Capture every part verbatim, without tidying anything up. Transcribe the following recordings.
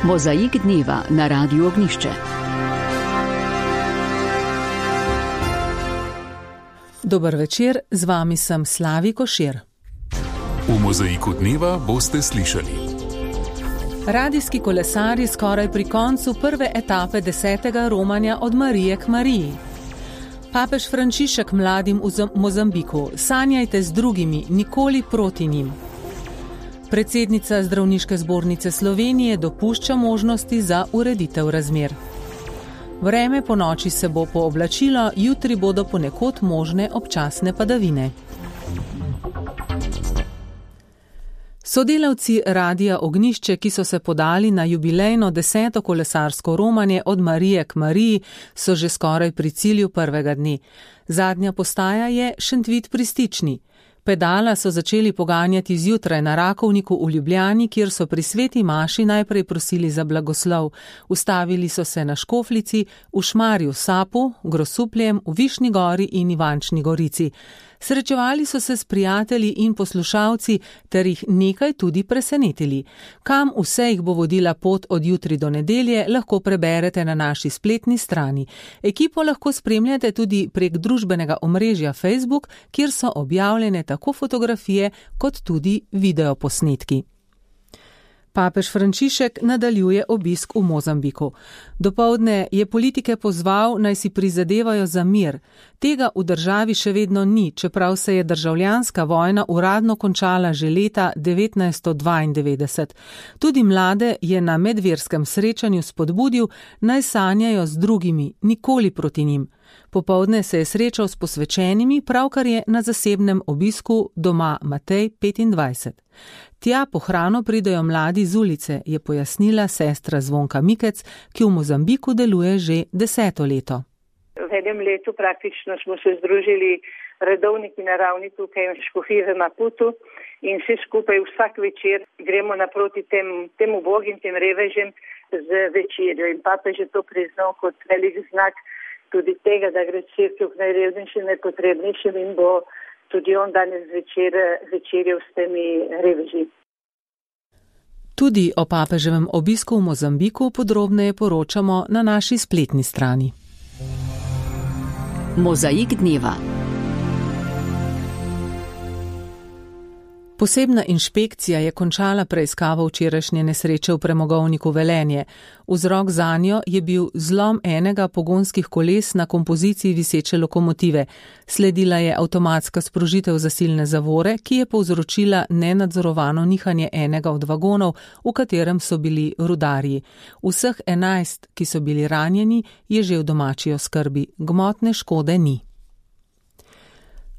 Mozaik dneva na Radiu Ognjišče. Dober večer, z vami sem Slavi Košir. V Mozaiku dneva boste slišali. Radijski kolesarji skoraj pri koncu prve etape desetega romanja od Marije k Mariji. Papež Frančišek mladim v Mozambiku: sanjajte z drugimi, nikoli proti njim. Predsednica Zdravniške zbornice Slovenije dopušča možnosti za ureditev razmer. Vreme po noči se bo pooblačilo, jutri bodo ponekod možne občasne padavine. Sodelavci Radia Ognjišče, ki so se podali na jubilejno deseto kolesarsko romanje od Marije k Mariji, so že skoraj pri cilju prvega dne. Zadnja postaja je Šentvid pri Stični. Pedala so začeli poganjati zjutraj na Rakovniku v Ljubljani, kjer so pri sveti maši najprej prosili za blagoslov. Ustavili so se na Škoflici, v Šmarju Sapu, Grosupljem, v Višnji Gori in Ivančni Gorici. Srečevali so se s prijatelji in poslušalci ter jih nekaj tudi presenetili. Kam vse jih bo vodila pot od jutri do nedelje, lahko preberete na naši spletni strani. Ekipo lahko spremljate tudi prek družbenega omrežja Facebook, kjer so objavljene tako fotografije kot tudi videoposnetki. Papež Frančišek nadaljuje obisk v Mozambiku. Dopoldne je politike pozval, naj si prizadevajo za mir. Tega v državi še vedno ni, čeprav se je državljanska vojna uradno končala že leta devetnajststo dvaindevetdeset. Tudi mlade je na medverskem srečanju spodbudil, naj sanjajo z drugimi, nikoli proti njim. Popoldne se je srečal s posvečenimi, pravkar je na zasebnem obisku doma Matej petindvajset. Tja po hrano pridejo mladi z ulice, je pojasnila sestra Zvonka Mikec, ki v Mozambiku deluje že deseto leto. V enem letu praktično smo se združili redovniki na ravni tukaj v Škofiji v Maputu in vsi skupaj vsak večer gremo naproti tem, tem ubogim, tem revežem z večerjo. In papež je to priznal kot velik znak tudi tega, da gre cerkev k najrevnejšim, najpotrebnejšim in bo tudi on danes večer večerjal s temi reveži. Tudi o papeževem obisku v Mozambiku podrobneje poročamo na naši spletni strani. Mozaik dneva. Posebna inšpekcija je končala preiskavo včerajšnje nesreče v premogovniku Velenje. Vzrok zanjo je bil zlom enega pogonskih koles na kompoziciji viseče lokomotive. Sledila je avtomatska sprožitev zasilne zavore, ki je povzročila nenadzorovano nihanje enega od vagonov, v katerem so bili rudarji. Vseh enajst, ki so bili ranjeni, je že v domači oskrbi. Gmotne škode ni.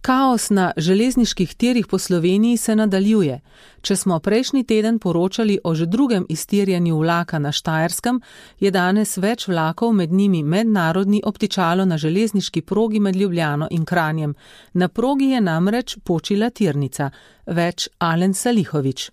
Kaos na železniških tirih po Sloveniji se nadaljuje. Če smo prejšnji teden poročali o že drugem iztirjanju vlaka na Štajerskem, je danes več vlakov, med njimi mednarodni, obtičalo na železniški progi med Ljubljano in Kranjem. Na progi je namreč počila tirnica. Več Alen Salihovič.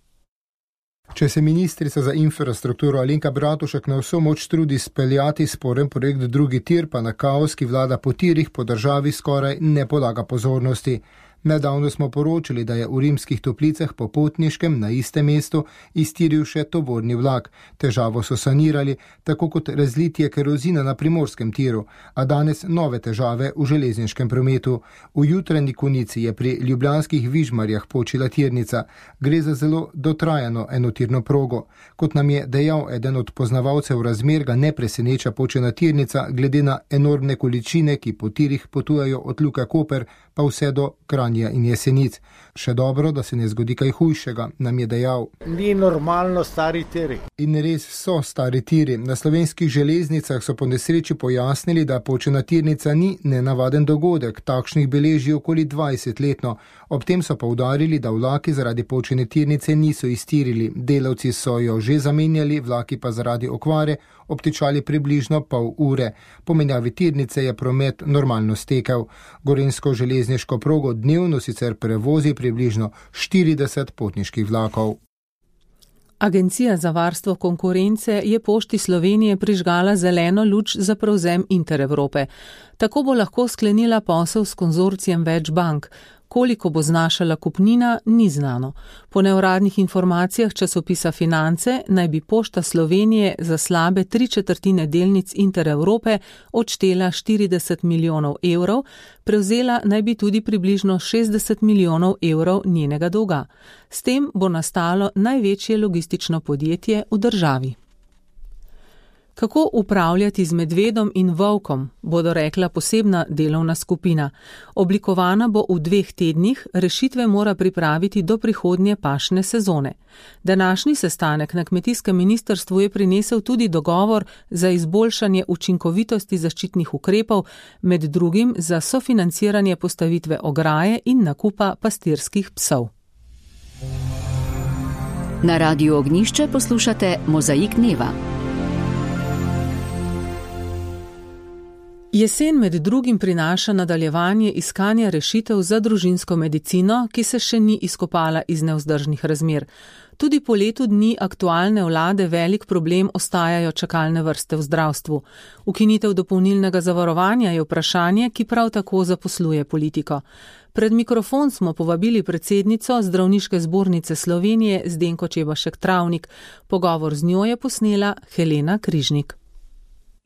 Če se ministrica za infrastrukturo Alenka Bratušek na vso moč trudi speljati sporen projekt drugi tir, pa na kaos, ki vlada po tirih po državi, skoraj ne polaga pozornosti. Nedavno smo poročali, da je v Rimskih Toplicah po Potniškem na istem mestu iztiril še tovorni vlak. Težavo so sanirali, tako kot razlitje kerozina na primorskem tiru, a danes nove težave v železniškem prometu. V jutranji konici je pri ljubljanskih Vižmarjah počila tirnica. Gre za zelo dotrajano enotirno progo. Kot nam je dejal eden od poznavalcev razmer, ga ne preseneča počena tirnica, glede na enormne količine, ki po tirih potujejo od Luke Koper pa vse do Kranja in Jesenic. Še dobro, da se ne zgodi kaj hujšega, nam je dejal. Ni normalno stari tiri. In res so stari tiri. Na slovenskih železnicah so po nesreči pojasnili, da počena tirnica ni nenavaden dogodek, takšnih beleži okoli dvajset letno. Ob tem so poudarili, da vlaki zaradi počene tirnice niso iztirili. Delavci so jo že zamenjali, vlaki pa zaradi okvare obtičali približno pol ure. Po menjavi tirnice je promet normalno stekel. Gorenjsko železniško progo dnevno sicer prevozi približno štirideset potniških vlakov. Agencija za varstvo konkurence je Pošti Slovenije prižgala zeleno luč za prevzem Interevrope. Tako bo lahko sklenila posel s konzorcijem več bank. Koliko bo znašala kupnina, ni znano. Po neuradnih informacijah časopisa Finance naj bi Pošta Slovenije za slabe tri četrtine delnic Intereurope odštela štirideset milijonov evrov, prevzela naj bi tudi približno šestdeset milijonov evrov njenega dolga. S tem bo nastalo največje logistično podjetje v državi. Kako upravljati z medvedom in volkom, bodo rekla posebna delovna skupina. Oblikovana bo v dveh tednih, rešitve mora pripraviti do prihodnje pašne sezone. Današnji sestanek na kmetijskem ministrstvu je prinesel tudi dogovor za izboljšanje učinkovitosti zaščitnih ukrepov, med drugim za sofinanciranje postavitve ograje in nakupa pastirskih psov. Na Radiu Ognjišče poslušate Mozaik dneva. Jesen med drugim prinaša nadaljevanje iskanja rešitev za družinsko medicino, ki se še ni izkopala iz nevzdržnih razmer. Tudi po letu dni aktualne vlade velik problem ostajajo čakalne vrste v zdravstvu. Ukinitev dopolnilnega zavarovanja je vprašanje, ki prav tako zaposluje politiko. Pred mikrofon smo povabili predsednico Zdravniške zbornice Slovenije Zdenko Čebašek Travnik. Pogovor z njo je posnela Helena Križnik.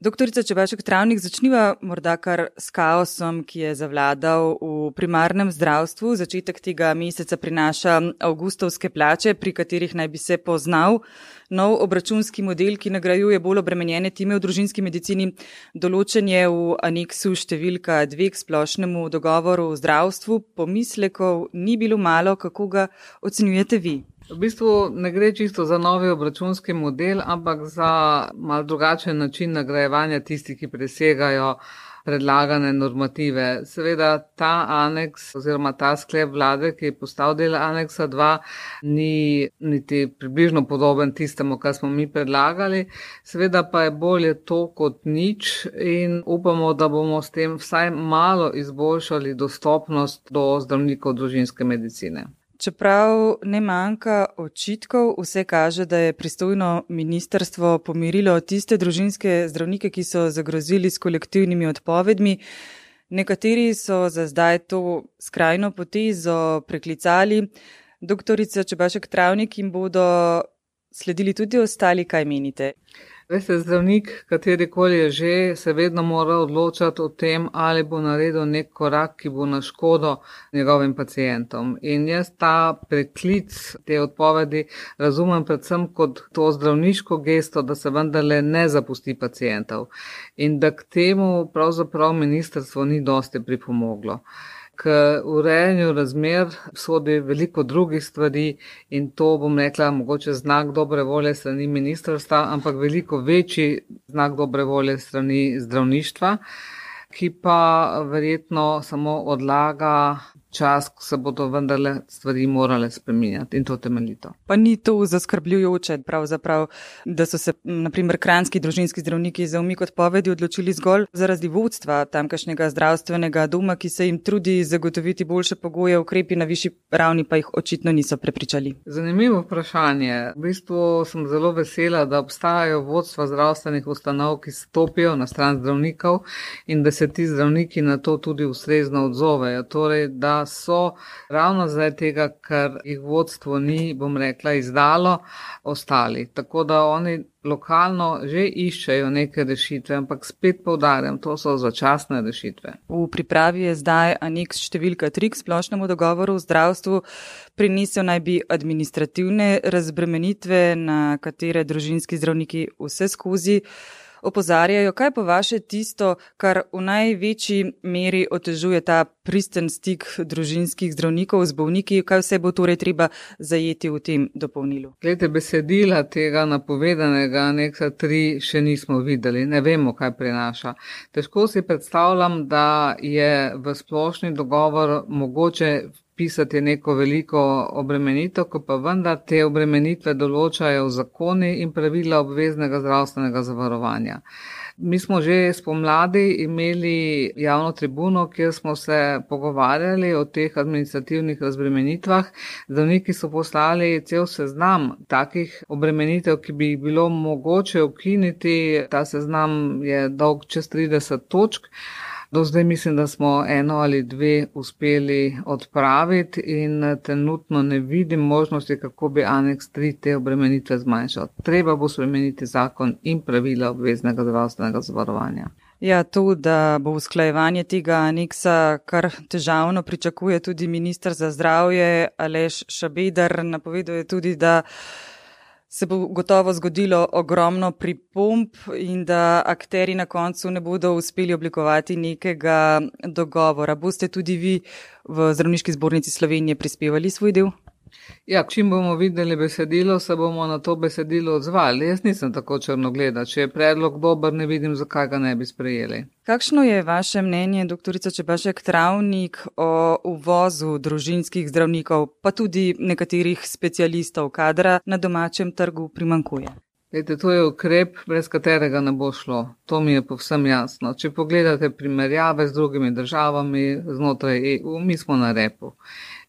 Doktorica Čebašek Travnik, začniva morda kar s kaosom, ki je zavladal v primarnem zdravstvu. Začetek tega meseca prinaša avgustovske plače, pri katerih naj bi se poznal nov obračunski model, ki nagrajuje bolj obremenjene time v družinski medicini. Določen je v aneksu številka dve k splošnemu dogovoru v zdravstvu. Pomislekov ni bilo malo, kako ga ocenjujete vi? V bistvu ne gre čisto za novi obračunski model, ampak za malo drugačen način nagrajevanja tistih, ki presegajo predlagane normative. Seveda ta aneks oziroma ta sklep vlade, ki je postal del aneksa dva, ni niti približno podoben tistemu, kar smo mi predlagali. Seveda pa je bolje to kot nič in upamo, da bomo s tem vsaj malo izboljšali dostopnost do zdravnikov družinske medicine. Čeprav ne manjka očitkov, vse kaže, da je pristojno ministrstvo pomirilo tiste družinske zdravnike, ki so zagrozili s kolektivnimi odpovedmi. Nekateri so za zdaj to skrajno potezo preklicali. Doktorica Čebašek Travnik, jim bodo sledili tudi ostali, kaj menite? Veste, zdravnik, katerikoli je že, se vedno mora odločati o tem, ali bo naredil nek korak, ki bo na škodo njegovim pacientom. In jaz ta preklic te odpovedi razumem predvsem kot to zdravniško gesto, da se vendarle ne zapusti pacientov. In da k temu pravzaprav ministrstvo ni dosti pripomoglo. K urejanju razmer sodi veliko drugih stvari in to, bom rekla, mogoče znak dobre volje strani ministrstva, ampak veliko večji znak dobre volje strani zdravništva, ki pa verjetno samo odlaga čas, ko se bodo vendarle stvari morale spreminjati in to temeljito. Pa ni to zaskrbljujoče, pravzaprav, da so se na primer kranjski družinski zdravniki za umik odpovedi odločili zgolj zaradi vodstva tamkajšnjega zdravstvenega doma, ki se jim trudi zagotoviti boljše pogoje, ukrepi na višji ravni pa jih očitno niso prepričali. Zanimivo vprašanje. V bistvu sem zelo vesela, da obstajajo vodstva zdravstvenih ustanov, ki stopijo na stran zdravnikov in da se ti zdravniki na to tudi ustrezno odzovejo. Torej, da so ravno zaradi tega, ker jih vodstvo ni, bom rekla, izdalo, ostali. Tako da oni lokalno že iščejo neke rešitve, ampak spet poudarjam, to so začasne rešitve. V pripravi je zdaj aneks številka tri k splošnemu dogovoru v zdravstvu. Prinesel naj bi administrativne razbremenitve, na katere družinski zdravniki vse skozi opozarjajo. Kaj po vaše tisto, kar v največji meri otežuje ta pristen stik družinskih zdravnikov z bolniki? Kaj vse bo torej treba zajeti v tem dopolnilu? Glede, besedila tega napovedanega aneksa tri še nismo videli, ne vemo, kaj prinaša. Težko si predstavljam, da je v splošni dogovor mogoče pisati neko veliko obremenitev, ko pa vendar te obremenitve določajo zakoni in pravila obveznega zdravstvenega zavarovanja. Mi smo že spomladi imeli javno tribuno, kjer smo se pogovarjali o teh administrativnih razbremenitvah. Zdravniki so poslali cel seznam takih obremenitev, ki bi jih bilo mogoče ukiniti. Ta seznam je dolg čez trideset točk. Do zdaj mislim, da smo eno ali dve uspeli odpraviti in trenutno ne vidim možnosti, kako bi aneks tri te obremenitve zmanjšal. Treba bo spremeniti zakon in pravila obveznega zdravstvenega zavarovanja. Ja, to, da bo usklajevanje tega aneksa kar težavno, pričakuje tudi minister za zdravje Aleš Šabeder. Napoveduje tudi, da se bo gotovo zgodilo ogromno pripomb in da akteri na koncu ne bodo uspeli oblikovati nekega dogovora. Boste tudi vi v Zdravniški zbornici Slovenije prispevali svoj del? Ja, čim bomo videli besedilo, se bomo na to besedilo odzvali. Jaz nisem tako črnogleda. Če je predlog dober, ne vidim, zakaj ga ne bi sprejeli. Kakšno je vaše mnenje, doktorica Čebašek Travnik, o uvozu družinskih zdravnikov, pa tudi nekaterih specialistov, kadra na domačem trgu primanjkuje? Lejte, to je ukrep, brez katerega ne bo šlo. To mi je povsem jasno. Če pogledate primerjave z drugimi državami znotraj E U, mi smo na repu.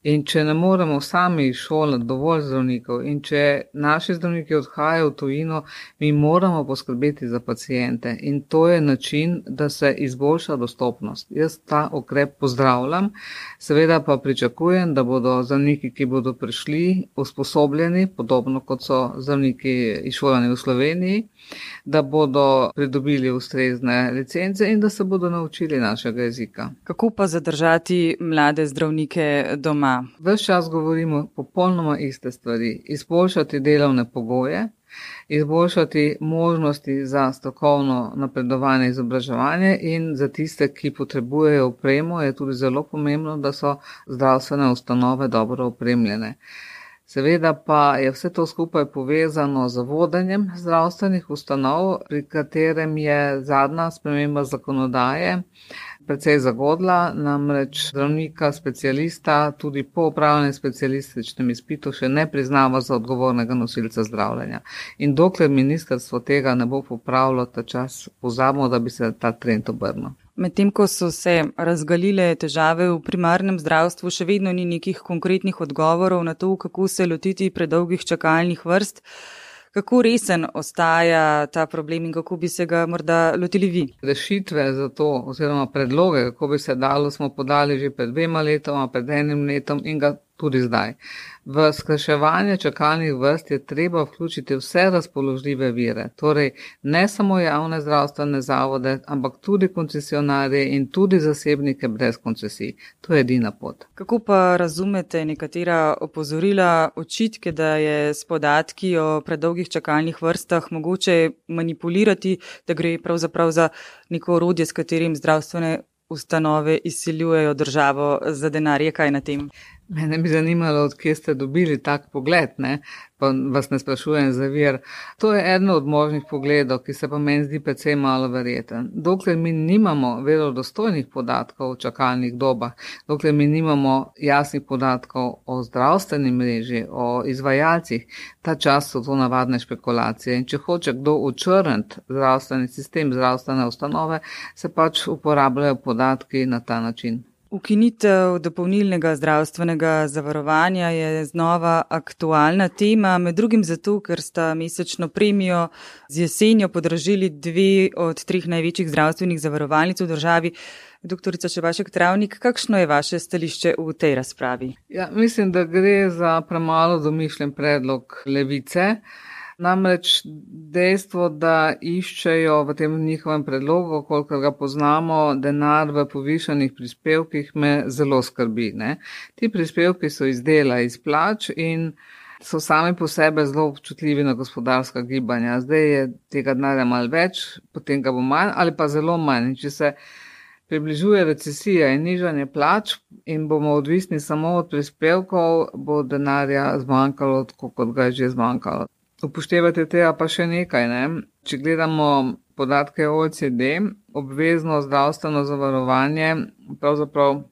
In če ne moremo sami šolati dovolj zdravnikov in če naši zdravniki odhajajo v tujino, mi moramo poskrbeti za pacijente. In to je način, da se izboljša dostopnost. Jaz ta ukrep pozdravljam, seveda pa pričakujem, da bodo zdravniki, ki bodo prišli, usposobljeni, podobno kot so zdravniki izšolani v Sloveniji, da bodo pridobili ustrezne licence in da se bodo naučili našega jezika. Kako pa zadržati mlade zdravnike doma? Ves čas govorimo popolnoma iste stvari. Izboljšati delovne pogoje, izboljšati možnosti za strokovno napredovanje in izobraževanje in za tiste, ki potrebujejo opremo, je tudi zelo pomembno, da so zdravstvene ustanove dobro opremljene. Seveda pa je vse to skupaj povezano z vodenjem zdravstvenih ustanov, pri katerem je zadnja sprememba zakonodaje precej zagodla, namreč zdravnika, specialista, tudi po opravljenem specialističnem izpitu še ne priznava za odgovornega nosilca zdravljenja. In dokler ministrstvo tega ne bo popravilo, ta čas pozabimo, da bi se ta trend obrnil. Medtem ko so se razgalile težave v primarnem zdravstvu, še vedno ni nekih konkretnih odgovorov na to, kako se lotiti predolgih čakalnih vrst. Kako resen ostaja ta problem in kako bi se ga morda lotili vi? Rešitve za to oziroma predloge, kako bi se dalo, smo podali že pred dvema letoma, pred enim letom in ga tudi zdaj. V skrajševanje čakalnih vrst je treba vključiti vse razpoložljive vire, torej ne samo javne zdravstvene zavode, ampak tudi koncesionarje in tudi zasebnike brez koncesij. To je edina pot. Kako pa razumete nekatera opozorila, očitke, da je s podatki o predolgih čakalnih vrstah mogoče manipulirati, da gre pravzaprav za neko orodje, s katerim zdravstvene ustanove izsiljujejo državo za denar? Je kaj na tem? Mene bi zanimalo, od kje ste dobili tak pogled, ne? Pa vas ne sprašujem za vir. To je eno od možnih pogledov, ki se pa meni zdi precej malo verjeten. Dokler mi nimamo verodostojnih podatkov o čakalnih dobah, dokler mi nimamo jasnih podatkov o zdravstveni mreži, o izvajalcih, ta čas so to navadne špekulacije. In če hoče kdo očrniti zdravstveni sistem, zdravstvene ustanove, se pač uporabljajo podatki na ta način. Ukinitev dopolnilnega zdravstvenega zavarovanja je znova aktualna tema, med drugim zato, ker sta mesečno premijo z jesenjo podražili dve od treh največjih zdravstvenih zavarovalnic v državi. Doktorica Čebašek Travnik, kakšno je vaše stališče v tej razpravi? Ja, mislim, da gre za premalo domišljen predlog Levice. Namreč dejstvo, da iščejo v tem njihovem predlogu, kolikor ga poznamo, denar v povišanih prispevkih, me zelo skrbi. Ne? Ti prispevki so iz dela, iz plač in so sami po sebe zelo občutljivi na gospodarska gibanja. Zdaj je tega denarja malo več, potem ga bo manj ali pa zelo manj. In če se približuje recesija in nižanje plač in bomo odvisni samo od prispevkov, bo denarja zmanjkalo, tako kot ga je že zmanjkalo. Upoštevate tega pa še nekaj, ne? Če gledamo podatke O E C D, obvezno zdravstveno zavarovanje pravzaprav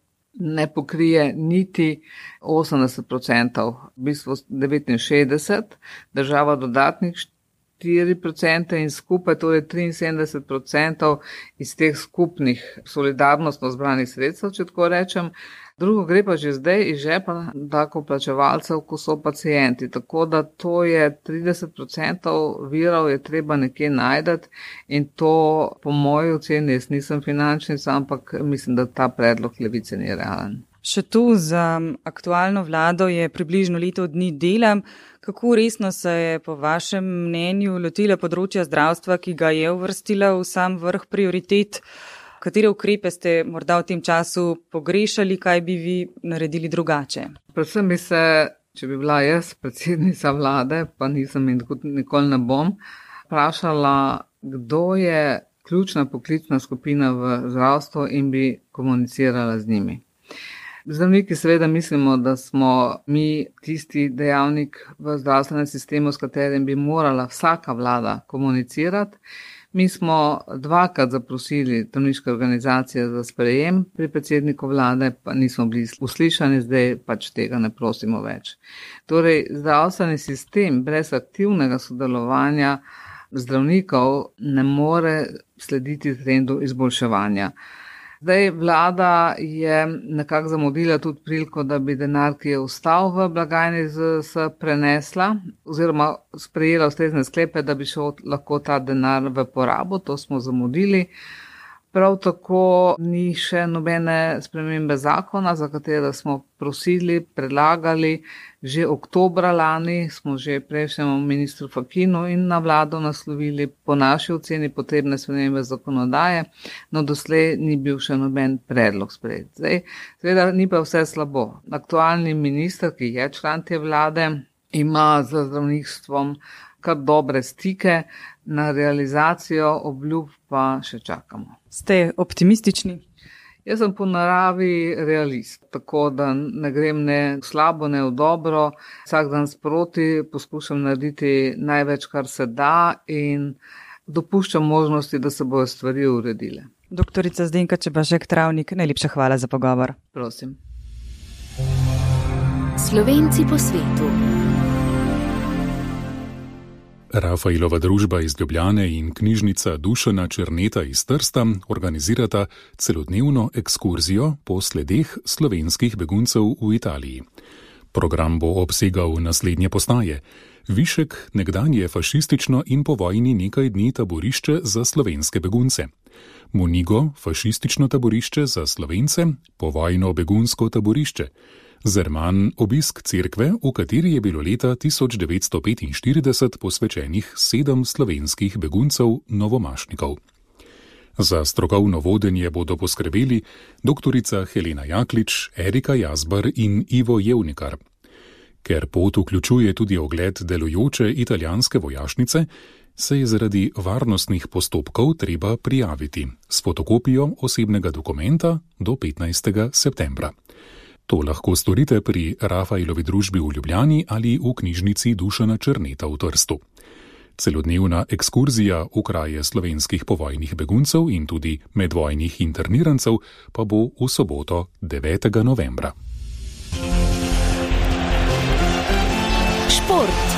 ne pokrije niti osemdeset procentov, v bistvu devetinšestdeset, država dodatnih štiri procente in skupaj torej triinsedemdeset procentov iz teh skupnih solidarnostno zbranih sredstev, če tako rečem, Drugo gre pa že zdaj iz žepa davkoplačevalcev, ko so pacienti. Tako da to je trideset procentov virov je treba nekje najdeti in to po moji oceni, jaz nisem finančnica, ampak mislim, da ta predlog Levice ni realen. Še tu za aktualno vlado je približno leto dni dela. Kako resno se je po vašem mnenju lotila področja zdravstva, ki ga je uvrstila v sam vrh prioritet? Katere ukrepe ste morda v tem času pogrešali, kaj bi vi naredili drugače? Predvsem bi se, če bi bila jaz predsednica vlade, pa nisem in nikoli ne bom, vprašala, kdo je ključna poklicna skupina v zdravstvu in bi komunicirala z njimi. Zdravniki seveda mislimo, da smo mi tisti dejavnik v zdravstvenem sistemu, s katerim bi morala vsaka vlada komunicirati. Mi smo dvakrat zaprosili zdravniške organizacije za sprejem pri predsedniku vlade, pa nismo bili uslišani, zdaj pač tega ne prosimo več. Torej, zdravstveni sistem brez aktivnega sodelovanja zdravnikov ne more slediti trendu izboljševanja. Zdaj vlada je nekako zamudila tudi priliko, da bi denar, ki je ostal v blagajni Z S S, prenesla oziroma sprejela ustrezne sklepe, da bi šel lahko ta denar v porabo, to smo zamudili. Prav tako ni še nobene spremembe zakona, za katero smo prosili, predlagali. Že oktobra lani smo že prejšnjemu ministru Fakinu in na vlado naslovili po naši oceni potrebne spremembe zakonodaje, no doslej ni bil še noben predlog sprejet. Zdaj, seveda ni pa vse slabo. Aktualni minister, ki je član te vlade, ima z zdravništvom kar dobre stike, na realizacijo obljub pa še čakamo. Ste optimistični? Jaz sem po naravi realist, tako da ne grem ne v slabo, ne v dobro. Vsak dan sproti poskušam narediti največ, kar se da in dopuščam možnosti, da se bodo stvari uredile. Doktorica Zdenka Čebašek-Travnik, najlepša hvala za pogovor. Prosim. Slovenci po svetu. Rafaelova družba iz Ljubljane in knjižnica Dušana Černeta iz Trsta organizirata celodnevno ekskurzijo po sledeh slovenskih beguncev v Italiji. Program bo obsegal naslednje postaje: Višek, nekdanje fašistično in po vojni nekaj dni taborišče za slovenske begunce; Monigo, fašistično taborišče za Slovence, povojno begunsko taborišče; Zerman, obisk cerkve, v kateri je bilo leta tisoč devetsto petinštirideset posvečenih sedem slovenskih beguncev novomašnikov. Za strokovno vodenje bodo poskrbeli doktorica Helena Jaklič, Erika Jazbar in Ivo Jevnikar. Ker pot vključuje tudi ogled delujoče italijanske vojašnice, se je zaradi varnostnih postopkov treba prijaviti s fotokopijo osebnega dokumenta do petnajstega septembra. To lahko storite pri Rafaelovi družbi v Ljubljani ali v knjižnici Dušana Černeta v Trstu. Celodnevna ekskurzija v kraje slovenskih povojnih beguncev in tudi medvojnih internirancev pa bo v soboto devetega novembra. Šport.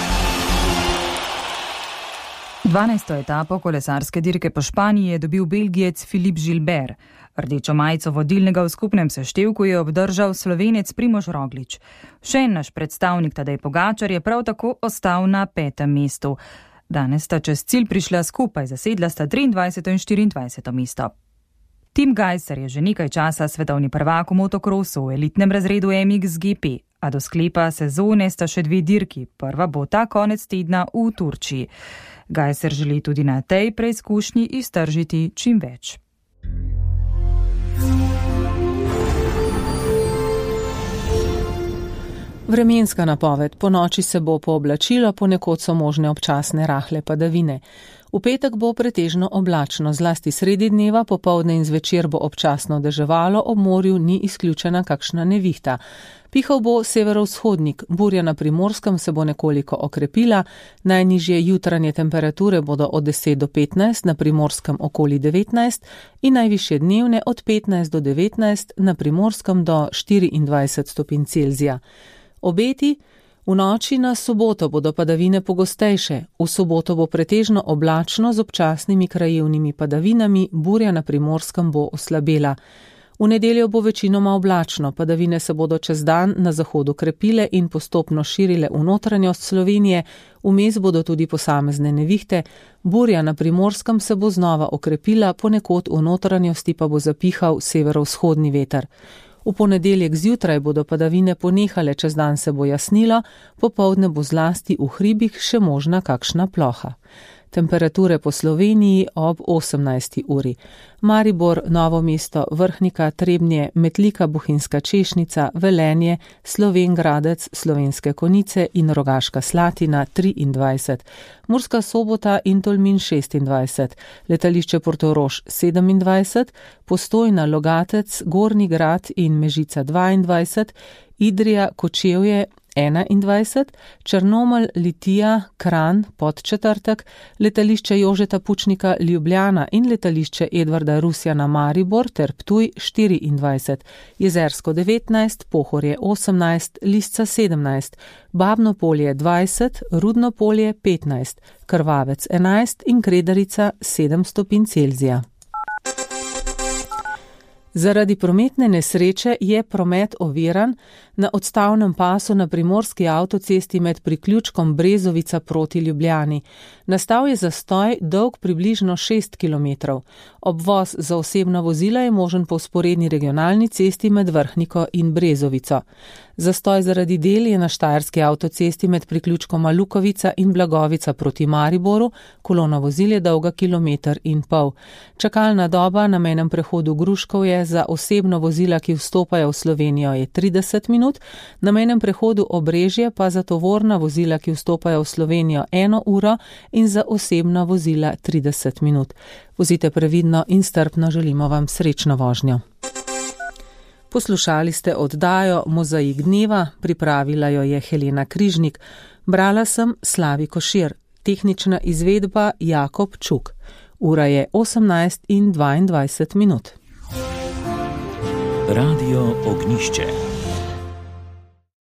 dvanajsto etapo kolesarske dirke po Španiji je dobil Belgijec Philippe Gilbert. Rdečo majico vodilnega v skupnem seštevku je obdržal Slovenec Primož Roglič. Še en naš predstavnik Tadej Pogačar je prav tako ostal na petem mestu. Danes sta čez cilj prišla skupaj, zasedla sta triindvajseto in štiriindvajseto mesto. Tim Gajser je že nekaj časa svetovni prvak v motokrosu v elitnem razredu M X G P, a do sklepa sezone sta še dve dirki. Prva bo ta konec tedna v Turčiji. Gajser želi tudi na tej preizkušnji iztržiti čim več. Vremenska napoved. Po noči se bo pooblačilo, ponekod so možne občasne rahle padavine. V petek bo pretežno oblačno, zlasti sredi dneva, popoldne in zvečer bo občasno deževalo, ob morju ni izključena kakšna nevihta. Pihal bo severovzhodnik, burja na Primorskem se bo nekoliko okrepila, najnižje jutranje temperature bodo od deset do petnajst, na Primorskem okoli devetnajst in najvišje dnevne od petnajst do devetnajst, na Primorskem do štiriindvajset stopinj Celzija. Obeti: v noči na soboto bodo padavine pogostejše, v soboto bo pretežno oblačno z občasnimi krajevnimi padavinami, burja na Primorskem bo oslabela. V nedeljo bo večinoma oblačno, padavine se bodo čez dan na zahodu krepile in postopno širile v notranjost Slovenije, vmes bodo tudi posamezne nevihte, burja na Primorskem se bo znova okrepila, ponekod v notranjosti pa bo zapihal severovzhodni veter. V ponedeljek zjutraj bodo padavine ponehale, čez dan se bo jasnilo, popoldne bo zlasti v hribih še možna kakšna ploha. Temperature po Sloveniji ob osemnajsti uri. Maribor, Novo mesto, Vrhnika, Trebnje, Metlika, Bohinjska Češnica, Velenje, Slovenj Gradec, Slovenske Konjice in Rogaška Slatina triindvajset, Murska Sobota in Tolmin šestindvajset, letališče Portorož sedemindvajset, Postojna, Logatec, Gornji Grad in Mežica dvaindvajset, Idrija, Kočevje enaindvajset, Črnomelj, Litija, Kranj, Podčetrtek, letališče Jožeta Pučnika Ljubljana in letališče Edvarda Rusjana Maribor ter Ptuj štiriindvajset, Jezersko devetnajst, Pohorje osemnajst, Lisca sedemnajst, Babno Polje dvajset, Rudno Polje petnajst, Krvavec enajst in Kredarica sedem stopinj Celzija. Zaradi prometne nesreče je promet oviran na odstavnem pasu na primorski avtocesti med priključkom Brezovica proti Ljubljani. Nastal je zastoj dolg približno šest kilometrov. Obvoz za osebna vozila je možen po vzporedni regionalni cesti med Vrhniko in Brezovico. Zastoj zaradi del je na štajerski avtocesti med priključkoma Lukovica in Blagovica proti Mariboru, kolona vozil je dolga kilometer in pol. Čakalna doba na mejnem prehodu Gruškovje za osebno vozila, ki vstopajo v Slovenijo, je trideset minut, na mejnem prehodu Obrežje pa za tovorna vozila, ki vstopajo v Slovenijo, eno uro in za osebna vozila trideset minut. Vozite previdno in strpno, želimo vam srečno vožnjo. Poslušali ste oddajo Mozaik dneva, pripravila jo je Helena Križnik, brala sem Slavi Košir, tehnična izvedba Jakob Čuk. Ura je osemnajst in dvaindvajset minut. Radio Ognjišče.